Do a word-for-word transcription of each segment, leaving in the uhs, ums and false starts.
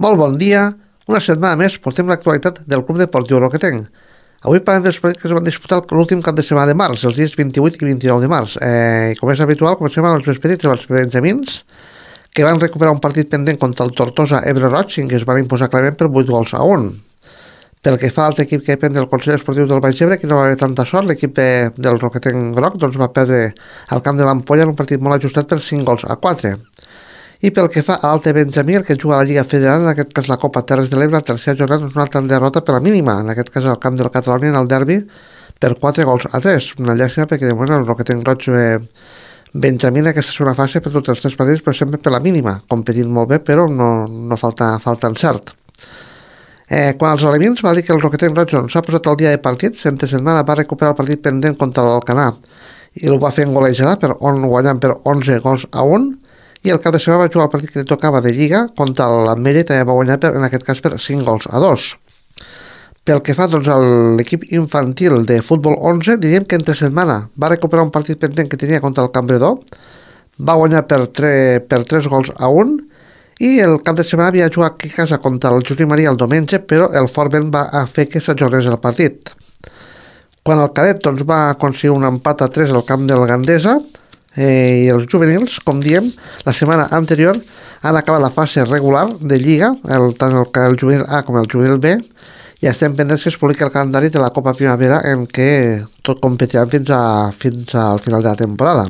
Molt bon dia. Una setmana més portem l'actualitat del Club Deportiu Roquetenc. Avui parlem dels partits que es van disputar l'últim cap de setmana de març, els dies vint-i-vuit i vint-i-nou de març. Eh, com és habitual, comencem amb els més petits, els benjamins, que van recuperar un partit pendent contra el Tortosa Ebre Roig, en què es van imposar clarament per vuit gols a un. Pel que fa a l'altre equip que depèn del Consell Esportiu del Baix Ebre, que no va haver tanta sort, l'equip eh, del Roquetenc Groc doncs, va perdre al camp de l'Ampolla en un partit molt ajustat per cinc gols a quatre. I pel que fa a l'Alte Benjamí, el que juga a la Lliga Federal, en aquest cas la Copa Terres de l'Ebre, la tercera jornada és una altra derrota per la mínima, en aquest cas al camp del Catalunya en el derbi, per quatre gols a tres. Una llàstima perquè de moment el Roquetenc Roig eh, Benjamí en aquesta segona fase per tots els tres partits, però sempre per la mínima, competint molt bé, però no, no falta, falta encert. Eh, quan als alevins va dir que el Roquetenc Roig s'ha posat al dia de partits, entre setmana va recuperar el partit pendent contra l'Alcanar i el va fer en golejada per on guanyant per onze gols a un, i el cap de setmana va jugar el partit que li tocava de Lliga contra l'Ametlla i també va guanyar per, en aquest cas per cinc gols a dos. Pel que fa doncs, a l'equip infantil de futbol onze, diríem que entre setmana va recuperar un partit pendent que tenia contra el Cambredó, va guanyar per, tre, per tres gols a un, i el cap de setmana havia jugat aquí a casa contra el Josep Maria el diumenge, però el Forment va fer que s'ajornés el partit. Quan el cadet doncs, va aconseguir un empat a tres al camp del Gandesa, Eh, i els juvenils, com diem, la setmana anterior han acabat la fase regular de Lliga, el, tant el, el juvenil A com el juvenil B, i estem pendents que es publiqui el calendari de la Copa Primavera en què tot competiran fins, a, fins al final de la temporada.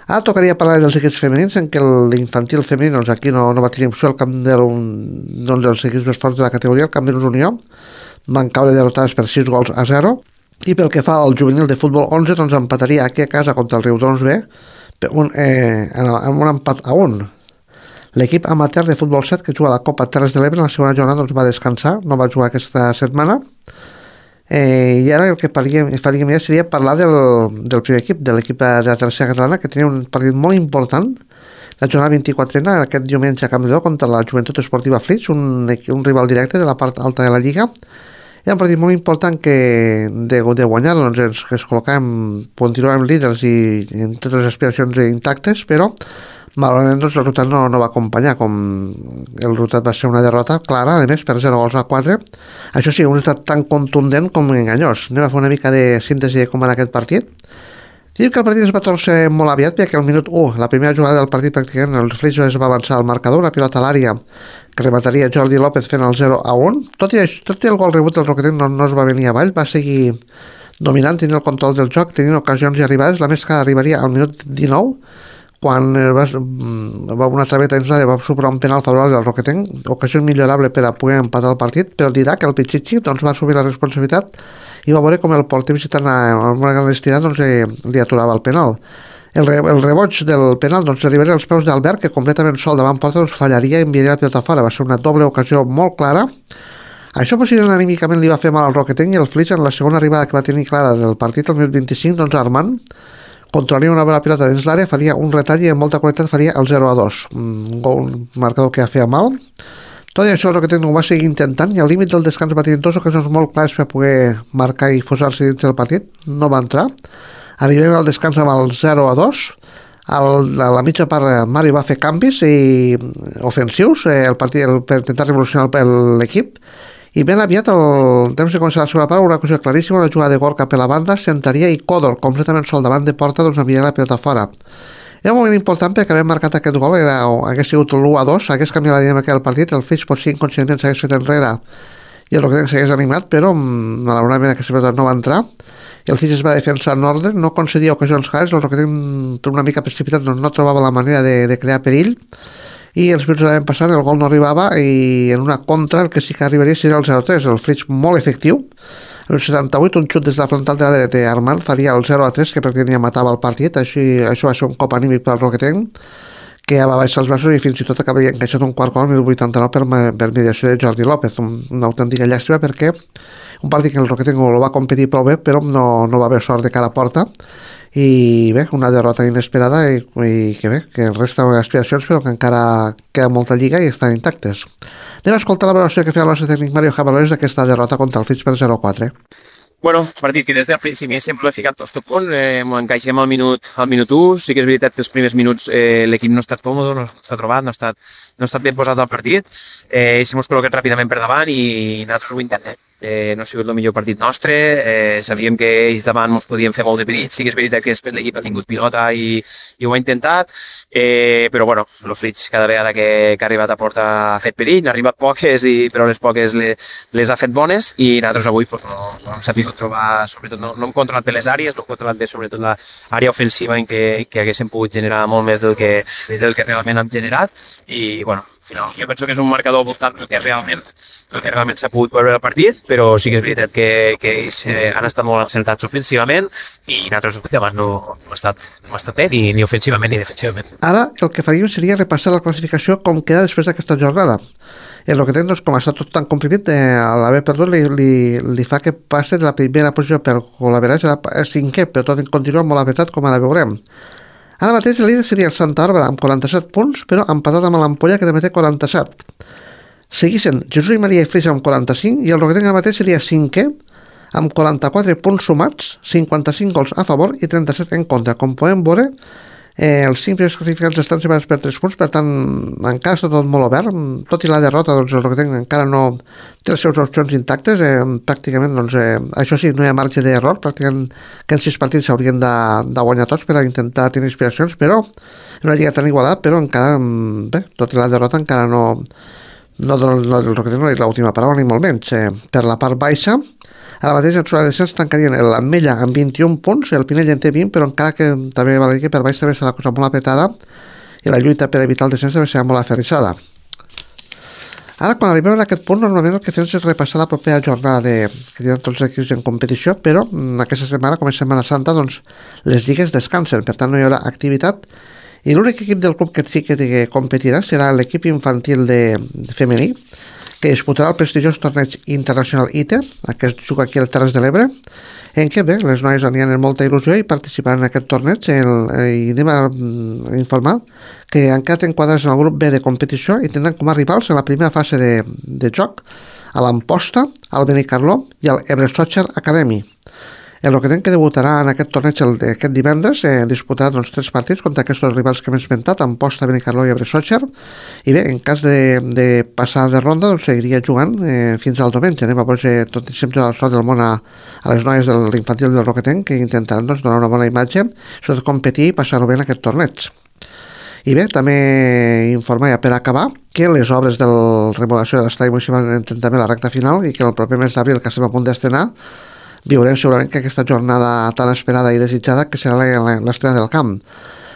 Ara tocaria parlar dels equips femenins, en què l'infantil femení doncs aquí no, no va tenir opció al camp d'un doncs, dels equips més forts de la categoria, el Camp de Unió, van caure derrotades per sis gols a zero. I pel que fa al juvenil de futbol onze, doncs empataria aquí a casa contra el Riudoms B un, eh, amb un empat a un. L'equip amateur de futbol set que juga a la Copa Terres de l'Ebre en la segona jornada doncs va descansar, no va jugar aquesta setmana. Eh, I ara el que faríem, faríem ja seria parlar del, del primer equip, de l'equip de la tercera catalana, que tenia un partit molt important, la jornada vint-i-quatrena, aquest diumenge a Campdó contra la Joventut Esportiva Flix, un, un rival directe de la part alta de la Lliga. Era un partit molt important que de, de guanyar doncs ens, que es col·locàvem, continuàvem líders i, i en totes les aspiracions intactes, però malauradament doncs, el resultat no, no va acompanyar, com el resultat va ser una derrota clara, a més per zero gols a quatre. Això sí, un resultat tan contundent com enganyós. Anem a fer una mica de síntesi de com va aquest partit. Diu que el partit es va torcer molt aviat perquè al minut u, la primera jugada del partit pràcticament el Flix es va avançar al marcador, una pilota a l'àrea que remataria Jordi López fent el zero a un. Tot i, tot i el gol rebut del Roquetenc no, no es va venir avall, va seguir dominant, tenint el control del joc, tenint ocasions i arribades. La més que arribaria al minut dinou, quan va, va una traveta dins l'àrea, va superar un penal favorable al Roquetenc, ocasió millorable per a poder empatar el partit, però dirà que el Pichichi doncs, va assumir la responsabilitat i va veure com el porter visitant amb una gran honestitat doncs, eh, li aturava el penal. El, re, el reboig del penal doncs, arribaria als peus d'Albert, que completament sol davant porta doncs, fallaria i enviaria la pilota fora. Va ser una doble ocasió molt clara. Això possiblement anímicament li va fer mal al Roquetenc, i el Flix en la segona arribada que va tenir clara del partit el minut vint-i-cinc, doncs Armand controlaria una bona pilota dins l'àrea, faria un retall i amb molta qualitat faria el zero a dos. Un gol, un marcador que ja feia mal. Tot i això el Roquetenc ho va seguir intentant i al límit del descans va tenir dues ocasions molt clares per poder marcar i posar-se dins del partit. No va entrar. Arribem al descans amb el zero a dos. Al, a la mitja part Mari va fer canvis i ofensius eh, el partit, el, per intentar revolucionar l'equip, i ben aviat el temps de començar la segona part, una ocasió claríssima, una jugada de Gorka per la banda, Sentaria i Còdor completament sol davant de porta, doncs enviaria la pilota fora. Era un moment important perquè haver marcat aquest gol, era, hagués sigut l'u a dos, hagués canviat la dinàmica del partit, el Flix potser inconscientment s'hagués fet enrere i el Roquetenc s'hagués animat, però malauradament aquesta pilota no va entrar i el Flix es va defensar en ordre, no concedia ocasions clares, el Roquetenc per una mica precipitat doncs, no trobava la manera de, de crear perill, i els minuts anaven passant, el gol no arribava i en una contra el que sí que arribaria seria el zero a tres, el Flix molt efectiu. En setanta-vuit, un xut des de la frontal de l'àrea d'Armand faria el zero a tres, que pràcticament ja matava el partit. Així, això va ser un cop anímic per al Roquetenc, que ja va baixar els braços i fins i tot acabaria encaixat un quart gol al minut vuitanta-nou per, per mediació de Jordi López. Una autèntica llàstima perquè un partit que el Roquetenc el va competir prou bé, però no, no va haver sort de cara a porta. I bé, una derrota inesperada i, i que bé, que resta aspiracions però que encara queda molta lliga i estan intactes. Anem a escoltar la valoració que feia el nostre tècnic Mario Jabalores d'aquesta derrota contra el Flix per zero a quatre. Bueno, partit que des del principi sempre l'he ficat tot a punt, eh, m'ho encaixem al minut, al minut u, sí que és veritat que els primers minuts eh, l'equip no ha estat còmode, no s'ha trobat, no ha estat, no ha estat ben posat al partit, eh, si mos col·loquem ràpidament per davant i nosaltres ho intentem. Eh, no ha sigut el millor partit nostre, eh, sabíem que ells davant ens podien fer molt de perill, sí que és veritat que després l'equip ha tingut pilota i, i ho ha intentat, eh, però bueno, el Flix cada vegada que, que ha arribat a porta ha fet perill, n'ha arribat poques, i, però les poques le, les ha fet bones i nosaltres avui pues, no, no hem sabut trobar, sobretot no, no hem controlat bé les àrees, no hem controlat bé sobretot l'àrea ofensiva en què, que haguéssim pogut generar molt més del que, del que realment hem generat i bueno, al final jo penso que és un marcador voltant del que realment el que realment s'ha pogut veure el partit, però sí que és veritat que, que ells eh, han estat molt encertats ofensivament i nosaltres davant no, no, hem estat, no hem estat bé ni, ni ofensivament ni defensivament. Ara el que faríem seria repassar la classificació com queda després d'aquesta jornada. El que tenen, doncs, com està tot tan comprimit, eh, a l'haver perdut li, li, li fa que passi de la primera posició per col·laborar a cinquè, però tot continua molt apretat, com ara veurem. Ara mateix el líder seria el Santa Bàrbara amb quaranta-set punts, però empatat amb l'Ampolla, que també té quaranta-set. Seguissin Jesús i Maria i Flix amb quaranta-cinc i el Roquetenc ara mateix seria cinquè amb quaranta-quatre punts sumats, cinquanta-cinc gols a favor i trenta-set en contra. Com podem veure, eh, els cinc primers classificats estan separats per tres punts, per tant encara està tot molt obert. Tot i la derrota, doncs, el Roquetenc encara no té les seves opcions intactes, eh, pràcticament, doncs, eh, això sí, no hi ha marge d'error, pràcticament que en sis partits s'haurien de, de guanyar tots per a intentar tenir inspiracions, però no ha lligat tan igualat, però encara, bé, tot i la derrota encara no no, no, no, el Roquetenc no és l'última paraula ni molt menys. Eh, per la part baixa, ara mateix en zona de descens tancarien l'Ametlla amb vint-i-un punts, el Pinell en té vint, però encara que també va dir que per baix també serà la cosa molt apretada i la lluita per evitar el descens també serà molt aferrissada. Ara, quan arribem a aquest punt, normalment el que fem és repassar la propera jornada de, que tenen tots els equips en competició, però aquesta setmana, com és Setmana Santa, doncs les lligues descansen, per tant no hi haurà activitat i l'únic equip del club que sí que competirà serà l'equip infantil de, de femení, que disputarà el prestigiós torneig internacional I T E, que es juga aquí al Terres de l'Ebre, en què bé, les noies aniran amb molta il·lusió i participaran en aquest torneig el, i anem a, a informar que han quedat enquadrats en el grup B de competició i tindran com a rivals en la primera fase de, de joc a l'Amposta, al Benicarló i al Ebre Soccer Academy. El Roquetenc, que debutarà en aquest torneig el, aquest divendres, eh, disputarà doncs, tres partits contra aquests rivals que hem esmentat, Amposta, Benicarló i Ebre Soccer, i bé, en cas de, de passar de ronda doncs, seguiria jugant eh, fins al diumenge. Anem a posar tot i sempre el sort del món a, a les noies de l'infantil del Roquetenc, que intentaran doncs, donar una bona imatge, sobretot competir i passar-ho bé en aquest torneig. I bé, també informar ja per acabar que les obres de la remodelació de l'estadi municipal entren també la recta final i que el proper mes d'abril, que estem a punt d'estrenar, viurem segurament que aquesta jornada tan esperada i desitjada que serà l'estrena del camp.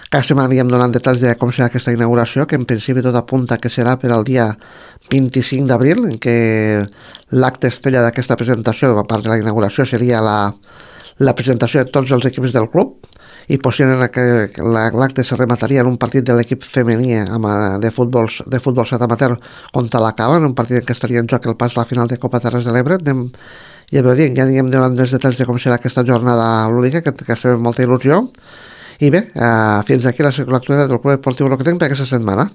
Cada setmana anirem donant detalls de com serà aquesta inauguració, que en principi tot apunta que serà per al dia vint-i-cinc d'abril, en què l'acte estrella d'aquesta presentació, a part de la inauguració, seria la, la presentació de tots els equips del club, i possiblement l'acte se remataria en un partit de l'equip femení de futbol, de futbol set amateur contra la Cava, en un partit en què estaria en joc el pas a la final de Copa Terres de l'Ebre. Anem, ja veu dir, ja anirem donant més detalls de com serà aquesta jornada lúdica, que, que estem amb molta il·lusió. I bé, eh, fins aquí l'actualitat del Club Esportiu Roquetenc per aquesta setmana.